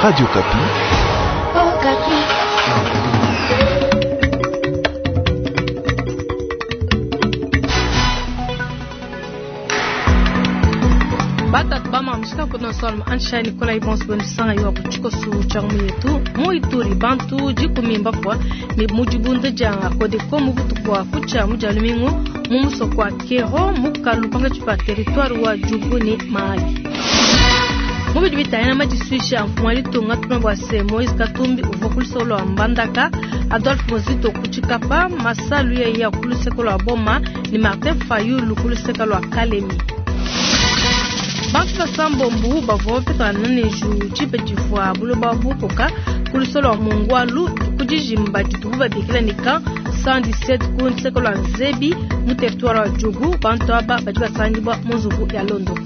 Radio Okapi. Okapi. Batatu bamamishika kuno solma ansha Nikolai Bonsbon sanga yo kuchikosu changu yetu mu Ituri bantu jikumi mbafwa ni mujibunda ja Kodeko mu butuku wa kucha muja lumingu mu musoko wa Kero mu kalupanga chipa territoire wa Djugu ni Mahagi. Mubidi bitayana majiswisha mfumu alitunga tuma bwa se Moise Katumbi uva kulusolo lwa Mbandaka Adolphe Muzito kuchikapa Masalu ya kuluseko lwa Boma ni Martin Fayulu kuluseko lwa Kalemi. Bantu basambombu bavua bapetangana ne nju tshipe tshivua buloba bukoka ku lusolo lua mungwalu ku dijimba ditubu babikila ne camp 117 ku nseko lua nzebi mu territoire wa Djugu. Bantu aba badi basangibwa mu nzubu ya Londoko.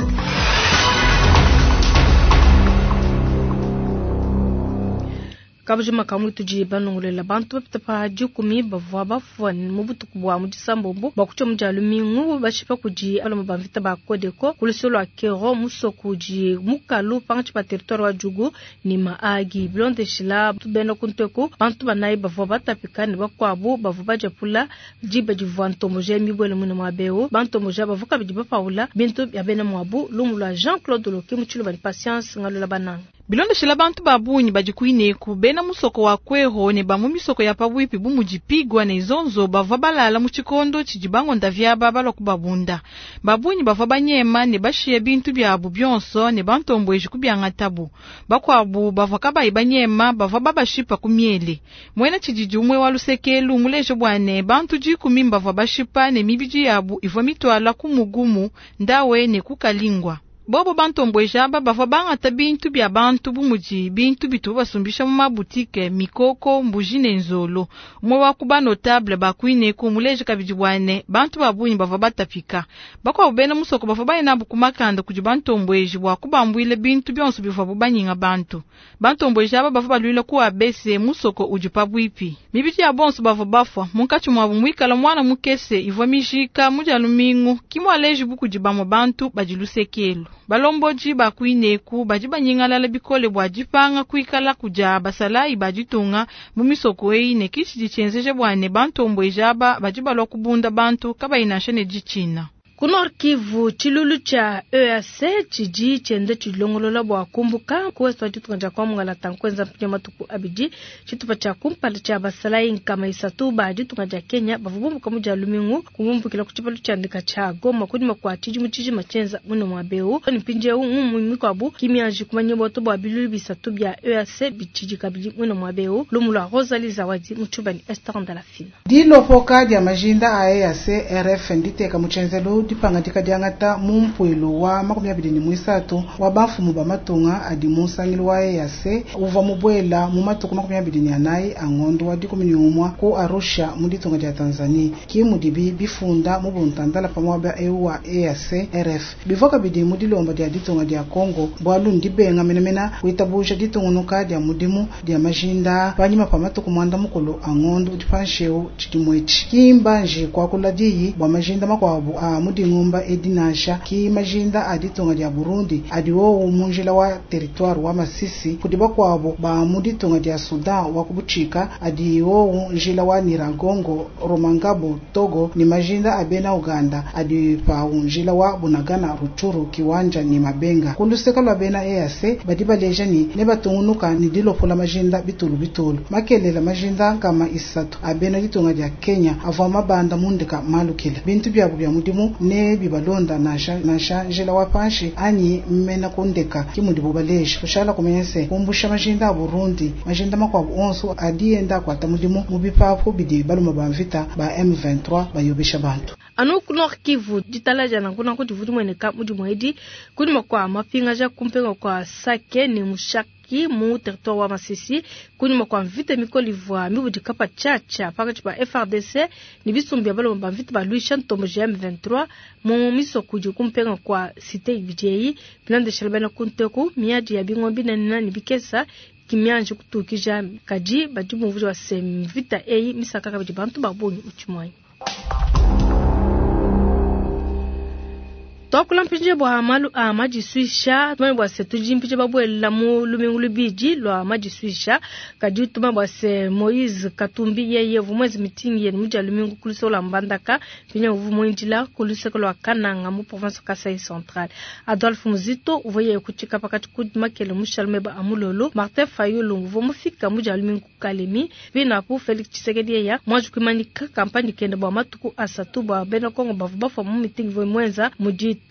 Kabujima kamwe tudi banongolela bantu bapita pa dikumi bavua bafua mu butuku bua mu disambombo bua kutsha mu dia lumingu bashipa kudi baloma ba mvita ba Kodeko ku lusolo lua Kero musoko udi mukalu pangatshi pa territoire wa Djugu ni Mahagi. Bilondeshila bena kunteku bantu banayi bavua batapika ne bakuabu bavua badiapula diba divua ntomboja mibwele mwine muaba eu. Bantomboja bavua kabidi bapaula bintu bia bena muabu. Lumu lua Jean-Claude Loki mu tshiluba ne Patience Ngalula Bananga. Bilondeshela bantu ba bungi badi kuineku bena musoko wa Kwero ne ba mu misoko ya pabwipi bu mudi Pigwa ne Zonzo bavua balala mu tshikondo tshidi bangonda vyaba balua kubabunda. Ba bungi bavua banyema ne bashiye bintu biabu bionso ne bantombweji kubiangatabu. Bakuabu bavua kabayi banyema bavua babashipa ku miele. Muena tshididi umue wa lusekelu muleje bua ne bantu dikumi bavua bashipa ne mibidi yabu ivua mituala ku mugumu ndawe ne ku kalingwa. Bobo bantombweja aba bavua bangata bintu bia bantu bu mudi bintu bitu basumbisha mu mabutike, mikoko, mbuji ne nzolo. Umue wa ku ba notable ba kuineku muleje kabidi bua ne bantu ba bungi bavua batapika. Bakuabu bena musoko bavua baye nabu ku makanda kudi bantombweji bua kubambuila bintu bionso bivuabu banyinga bantu. Bantombweji aba bavua baluila ku abese musoko udi pabuipi. Mibidi ya bonso bavua bafua munkatshi muabu muikala mwana mukese ivua mijika mu dia lumingu kimwaleji bu kudi bamue bantu badi lusekelu. Balomboji ba kuineku badi banyingalala bikole bua dipanga kuikala kudia basalayi ba ditunga mu misoko eyi ne kitshidi tshienzeja bua ne bantombweji aba badi balua kubunda bantu kabayi nansha ne ditshina. Ku Nord Kivu, tshilulu tshia EAC tshidi tshienda tshilongolola bua kumbuka ku ouest wa ditunga dia kwa Mongala nkuenza mpindieu matuku abidi. Tshitupa tshia kumpala tshia basalayi nkama isatu ba ditunga dia Kenya bavua bumbuka mu dia lumingu kubumbukila ku tshipalu tshia ndeka tshia Goma kunyima kua tshidimu tshijima tshienza muno muaba eu. Ne mpindieu ngumu mikuabu kimianji kumanya boto bua bilulu bisatu bia EAC bitshidi kabidi muno muaba eu. Lumu lua Rosalie Zawadi mu Tshuba ne Esther Ndalafina. Dilopoka dia majinda a EAC RF nditeka mu tshenzelu dipangadika diangata mu mpuilu wa 23 wa bamfumu ba matunga adi mu nsangilu wa EAC uvua mubuela mu matuku 24 a ngondo wa 11 ku Arusha mu ditunga dia Tanzania. Ki mudibi bifunda mu buntandala pa muaba eu wa EAC RF bivua kabidi mu dilomba dia ditunga dia Congo bualu ndibenga menemene kuitabuja ditungunuka dia mudimu dia majinda panyima pa matuku mwanda mukulu a ngondo udi panshi eu tshidimu etshi. Ki mbanji kuakula diyi bua majinda makuabu a mu dingumba edi nansha ki majinda a ditunga dia Burundi adi wowu mu njila wa territoire wa Masisi kudi bakuabu ba mu ditunga dia Sudan wa kubutshika adi wowu njila wa Nyiragongo, Rumangabo, Togo ni majinda a bena Uganda adi pawu njila wa Bunagana, Rutshuru, Kiwanja ni Mabenga. Kuluseka lwa bena EAC badi baleja ni ne batungunuka ni dilopola majinda bitulu bitulu makelela majinda nkama isatu a bena ditunga dia Kenya avua mabanda mundeka malukila bintu biabu bia mudimu ne bibalonda nansha nansha njila wa panshi anyi mmena kundeka kimudibu baleja kushala kumenya se kumbusha majinda a Burundi majinda makuabu onso adi enda akuata mudimu mu bipapu bidi baluma ba mvita ba M23 bayobesha bantu. Anu ku Nord Kivu ditalaja nanku nanku divua dimueneka mudimu edi kunyima kua mapingaja kumpenga kua Sake ne Mushaki mu territoire wa Masisi kunyima kua mvita mikole ivua mibudika pa tshiatshia pakatshi pa FARDC ne bisumbu bia baloma ba mvita baluisha ntomboji ya M23 mu misoko idi kumpenga kua cité ibidi eyi bilondeshela bena kunteku miadi ya bingoma binene ne bikesa kimianji kutukija kadi badi bumvuija bua se mvita eyi misaka kabidi bantu ba bungi mu tshimuanyi. Tuakula mpindieu bua malu a madisuisha. Tumanye bua se tudi mpindieu babuela mu lumingu luibidi lua madisuisha, kadi tumanye bua se Moise Katumbi yeye uvua muenze mitingi yende mu dia lumingu ku luseke lua Mbandaka, mpindieu uvua muindila ku luseke lua Kananga mu province wa Kasai Central. Adolphe Muzito uvua yeye ku tshikapakatshi ku makele mushale meba a mulolo. Martin Fayulu uvua mufika mu dia lumingu ku Kalemi. Pinapu, Felix Tshisekedi yeya muanji kuimanyika kampanye kende bua matuku asatu bua bena Kongo bavua bafua mu mitingi ivua muenza mu ditanu.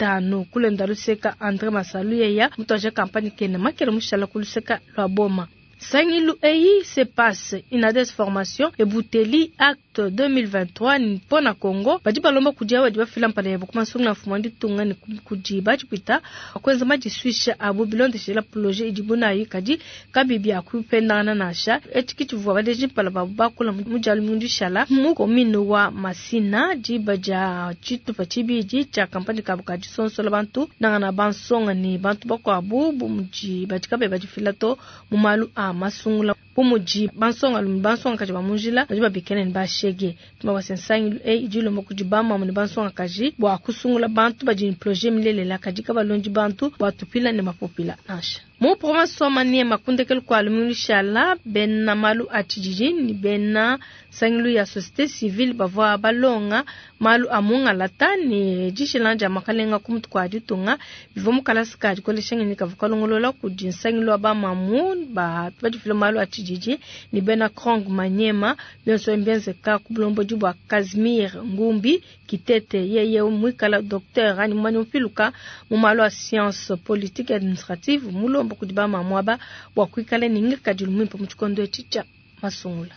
Kulenda luseka, Andre Masalu yeya mutuaje kampanye kende makele mushala ku luseka lua Boma. Nsangilu eyi CPAS, Inades Formation, Ebuteli, Acte 2023 ne Pona Congo badi balomba kudi aba badi bafila mpala yabu ku masungula a mfumu wa ditunga ne kudi badipita kuenza madisuisha abu bilondeshela projet idibu nayi kadi kabiyi bia kupendangana nansha. Etshi ke tshivua baleji mpala babu bakula mu Dia lumingu dishala mu commune wa Masina diba dia tshitupa tshibidi tshia kampanye kabu ka disonsola bantu nangana bansonga ne bantu bakuabu bu mudi badi kabayi badifila to mu malu a masungula bu mudi bansongalume ne bansongakaji ba mu njila badi babikila ne bashege. Tumabase nsangilu eyi idi ilomba kudi bamamu ne bansongakaji bua kusungula bantu badi ne projet milelela kadi kabalondi bantu bua tupila ne mapupila nansha. Mu province wa Maniema, ku ndekelu kua lumingu lushala, bena malu a tshididi ne bena nsangilu ya societe civile bavua balonga malu a mungalata ne dishilangana dia makalenga ku mutu kua ditunga bivua mu kalasa ka dikolesha ngenyi kavua kalongolola kudi nsangilu wa bamamu ba badifila malu a tshididi ne bena Krong Maniema. Bionso ebi mbienzeka ku bulombodi bua Casimir Ngumbi Kitete, yeye muikala docteur anyi mumanyi mupiluka mu malu a science politique administrative, mulomba kudi bamamu aba bua kuikala ne ngikadilu muimpe mu tshikondo etshi tshia masungula.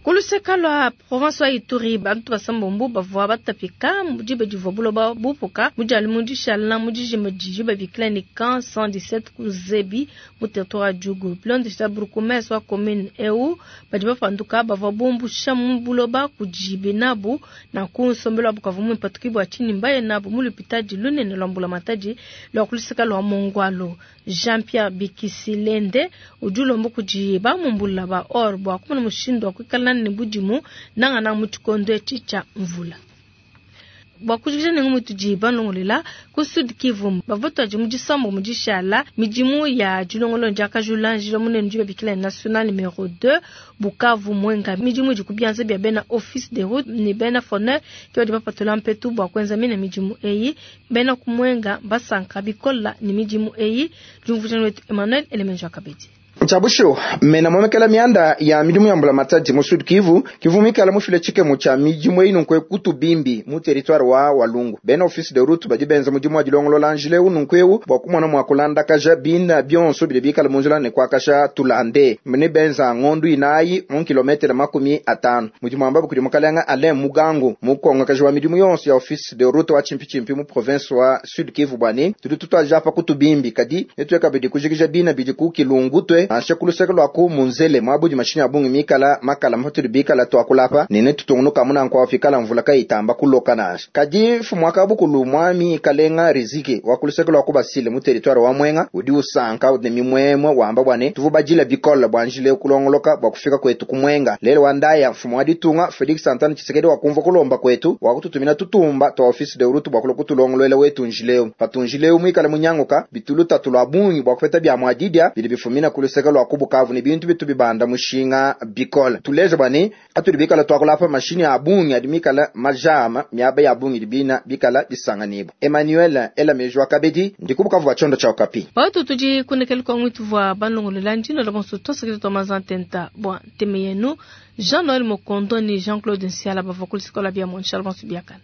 Ku luseka lua province wa Ituri, bantu basambombo bavua batapika mu diba divua buloba bupuka mu dia lumingu dishala mu dijimba didi babikila ne camp 117 ku Zebi mu territoire wa Djugu. Bilondeshila bourgmestre wa commune eu, badi bapanduka bavua bumbusha mu buloba kudi benabu, nanku nsombelu wabu kavua muimpe to. Ke bua tshinyi mbaye nabu mu lupitadi lunene lua mbulamatadi lua ku luseka lua Mongwalu. Jean-Pierre Bikisilende udi ulomba kudi bamumbula ba or bua kumona mushindu wa kuikala ne budimu nangananga mu tshikondo etshi tshia mvula. Bua kujikija ne ngumu itudi balongolola ku Sud Kivu, bavua batuadi mu disambo mu dishala midimu ya dilongolola diakajula njila munene udi babikila ne national numero 2 Bukavu Mwenga. Midimu idi ku bianza bia bena office de route ne bena FONER ke badi bapatula mpetu bua kuenza mine midimu eyi. Bena ku Mwenga basanka bikola ne midimu eyi. Diumvuija wetu Emmanuel Elemenjo Kabedi. Tshia bushuwa, mena muomekela mianda ya midimu ya mbulamatadi mu Sud Kivu, Kivu muikala mufile tshikemu tshia midimu eyi nunku eku Tubimbi mu territoire wa Walungu. Bena office de route badi benza mudimu wa dilongolola njila eu nunku eu bua kumona mua kulandakaja bina bionso bidi bikala mu njila ne kuakasha tulande ne benza ngondu inayi mu kilometre 50. Mudimu wambabu kudi mukalenga Alain Mugangu, mukongakaji wa midimu yonso ya office de route wa tshimpitshimpi mu province wa Sud Kivu bua ne tudi tutuadija apa ku Tubimbi kadi netuye kabidi kujikija bina bidi ku Kilungu tue nansha ku luseke lua ku Munzele muaba udi mashinyi a bungi mikala makala patudi bikala tuakula apa ne netutungunuka amu nanku awu pikala mvula kayitamba kuloka nansha. Kadi mfumu wa kabukulu Mwami Kalenga Riziki wa ku luseke lua ku Basile mu territoire wa Mwenga udi usanka ne mimuemue wamba bua ne tuvua badila bikole bua njila eu kulongoloka bua kufika kuetu ku Mwenga. Lelu wa ndaya mfumu wa ditunga Felix Antoine Tshisekedi wakumvua kulomba kuetu wakututumina tutumba tua office de route bua kulua kutulongoluela wetu njila eu. Patu njila eu muikale munyanguka bitu lutatu lua bungi bua kupeta bia mua didia bidi bifumina ku luseke lua ku Bukavu ne bintu bitu bibanda mushinga bikole. Tuleja bua ne atudi bikala tuakula apa mashinyi a bungi adi mikala majama miaba ya bungi idi bina bikala bisanganibua. Emmanuel ela meji wa kabedi ndi ku Bukavu bua tshiondo tshia Okapi. Patu tudi kundekelu kua ngwituvua balongolola ndino la bonso tuasakidila tua manza ntenta bua nteme yenu Jean Noël Mokondo ne Jean Claude Nsiala bavua ku luseke lua bia mu Shalom Subiakana.